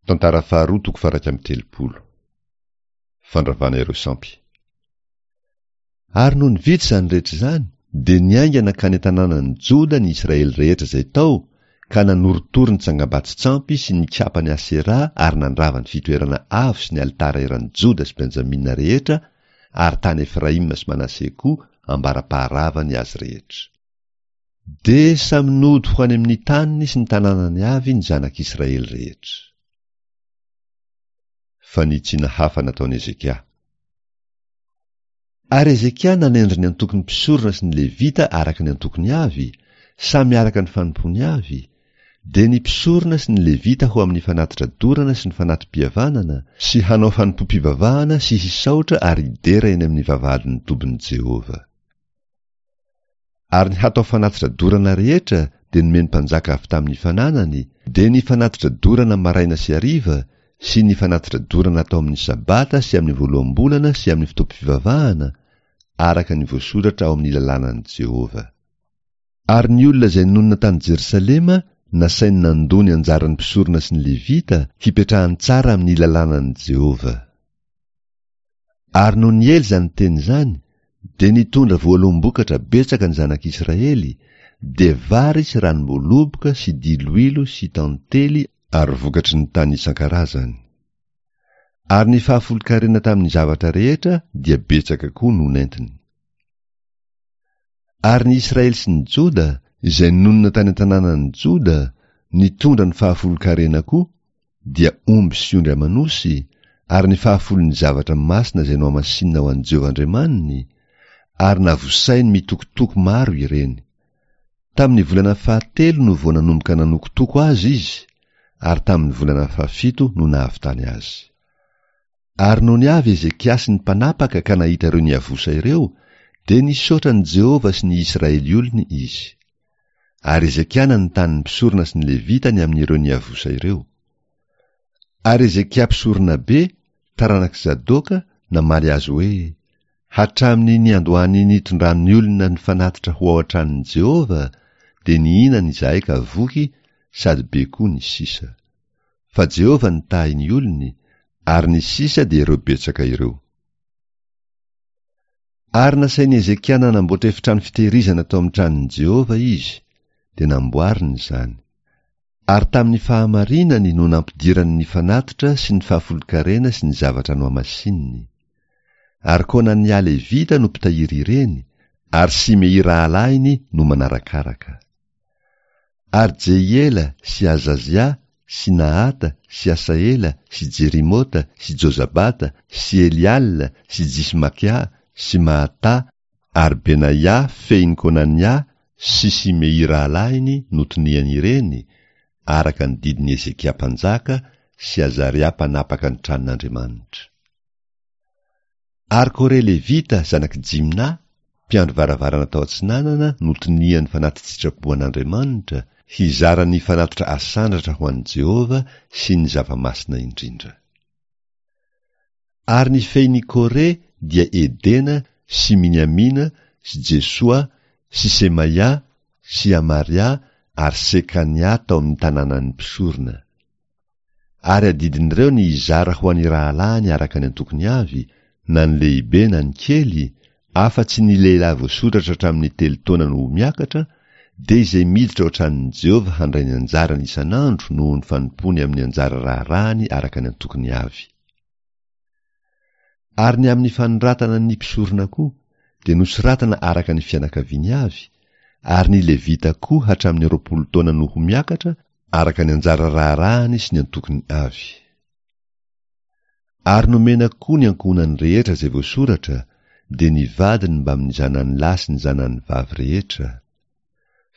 Tantara faharoa toko faha 31. Fandravana ireo sampy. Ary nony vita izany rehetra izany, dia niainga nankany an-tanànan'i Joda ny Israely rehetra izay tao, ka nanorotoro ny tsangambato-tsampy sy nikapa ny Aseraha ary nandrava ny fitoerana avo sy ny alitara eran'i Joda sy Benjamina rehetra ary tany Efraima sy Manase koa ambara-paharavany azy rehetra. Dia samy nody ho any amin'ny taniny sy ny tanànany avy ny zanak'Israely rehetra. Fanitsiana hafa nataon'i Hezekia. Ary Hezekia nanendry ny antokon'ny mpisorona sy ny Levita araka ny antokony avy, samy araka ny fanompoany avy, dia ny mpisorona sy ny Levita ho amin'ny fanatitra dorana sy ny fanati-pihavanana, sy hanao fanompoam-pivavahana sy hisaotra ary hidera eny amin'ny vavahadin'ny tobin'i Jehovah. Ary ny hatao fanatitra dorana rehetra dia nomen'ny mpanjaka avy tamin'ny fananany, dia ny fanatitra dorana maraina sy hariva, sy ny fanatitra dorana atao amin'ny Sabata sy amin'ny voaloham-bolana sy amin'ny fotoam-pivavahana, araka ny voasoratra ao amin'ny lalànan'i Jehovah. Ary ny olona izay nonina tany Jerosalema nasainy nandoa ny anjaran'ny mpisorona sy ny Levita hipetrahany tsara amin'ny lalànan'i Jehovah. Ary nony niely izany teny izany, dia nitondra voaloham-bokatra betsaka ny zanak'Israely, dia vary sy ranom-boaloboka sy diloilo sy tantely ary vokatry ny tany isan-karazany. Ary ny fahafolon-karena tamin'ny zavatra rehetra dia betsaka koa no nentiny. Ary ny Israely sy ny Joda, izay nonina tany an-tanànan'i Joda, nitondra ny fahafolon-karena koa, dia omby sy ondry aman'osy, ary ny fahafolon'ny zavatra masina izay nohamasinina ho an'i Jehovah Andriamaniny, ary navosainy mitokotoko maro ireny. Tamin'ny volana fahatelo no vao nanomboka nanokotoko azy izy, ary tamin'ny volana fahafito no nahavitany azy. Ary nony avy Hezekia sy ny mpanapaka ka nahita ireo niavosa ireo, dia nisaotra an'i Jehovah sy ny Israely olony izy. Ary Hezekia nanontany ny mpisorona sy ny Levita ny amin'ireo niavosa ireo. Ary Hezekia mpisoronabe, taranak'i Zadoka, namaly azy hoe, Hatramin'ny niandohan'ny nitondran'ny olona ny fanatitra ho ao an-tranon'i Jehovah, dia nihinana izahay ka voky sady be koa ny sisa. Fa Jehovah nitahy ny olony, ary ny sisa dia ireo betsaka ireo. Ary nasain'i Hezekia nanamboatra efitrano fitehirizana tao amin'ny tranon'i Jehovah izy, dia namboariny izany. Ary tamin'ny fahamarinany no nampidirany ny fanatitra sy ny fahafolonkarena sy ny zavatra nohamasininy. Ary Konania Levita no mpitahiry ireny, ary Simei rahalahiny no manarakaraka. Ary Jehiela sy Azazia sy Nahata sy Asahela sy Jerimota sy Jozabata sy Eliala sy Jismakia sy Mahatà ary Benaia fehin'i Konania sy Simei rahalahiny no tonian'ireny, araka ny didin'i Hezekia mpanjaka sy Azaria mpanapaka ny tranon'Andriamanitra. Ary Kore Levita, zanak'i Jimna, mpiandry varavarana tao atsinanana, no tonian'ny fanati-tsitrapo an'Andriamanitra, hizara ny fanatitra asandratra ho an'i Jehovah sy ny zava-masina indrindra. Ary ny fehin'i Kore dia Edena sy Miniamina sy Jesoa sy Semaia sy Amaria ary Sekania tao amin'ny tanànan'ny mpisorona. Ary adidin'ireo ny hizara ho an'ny rahalahiny araka ny antokony avy, na ny lehibe na ny kely, afa-tsy ny lehilahy voasoratra hatramin'ny telo taona no ho miakatra, dia izay miditra ao an-tranon'i Jehovah handray ny anjarany isan'andro noho ny fanompoany amin'ny anjara raharahany araka ny antokony avy. Ary ny amin'ny fanoratana ny mpisorona koa, dia nosoratana araka ny fianakaviany avy, ary ny Levita koa hatramin'ny 20 taona no ho miakatra, araka ny anjara raharahany sy ny antokony avy. Ary nomena koa ny ankohonany rehetra izay voasoratra, dia ny vadiny mbamin'ny zanany lahy sy ny zanany vavy rehetra.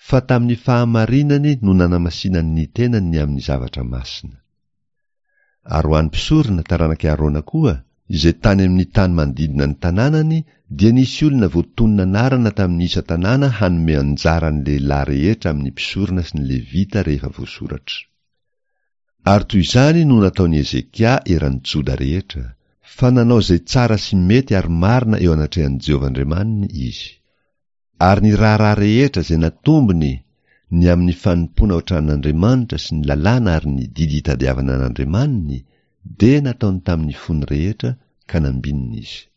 Fa tamin'ny fahamarinany no nanamasinany ny tenany ny amin'ny zavatra masina. Ary ho an'ny mpisorona, taranak'i Arona koa, izay tany amin'ny tany manodidina ny tanànany, dia nisy olona voatonona anarana tamin'ny isan-tanàna hanome anjara ny lehilahy rehetra amin'ny mpisorona sy ny Levita rehefa voasoratra. Ary toy izany no nataon'i Hezekia eran'i Joda rehetra, fa nanao izay tsara sy mety ary marina eo anatrehan'i Jehovah Andriamaniny izy. Ary ny raharaha rehetra izay natombony, ny amin'ny fanompoana ao an-tranon'Andriamanitra sy ny lalàna ary ny didy itadiavana an'Andriamaniny, dia nataony tamin'ny fony rehetra ka nambinina izy.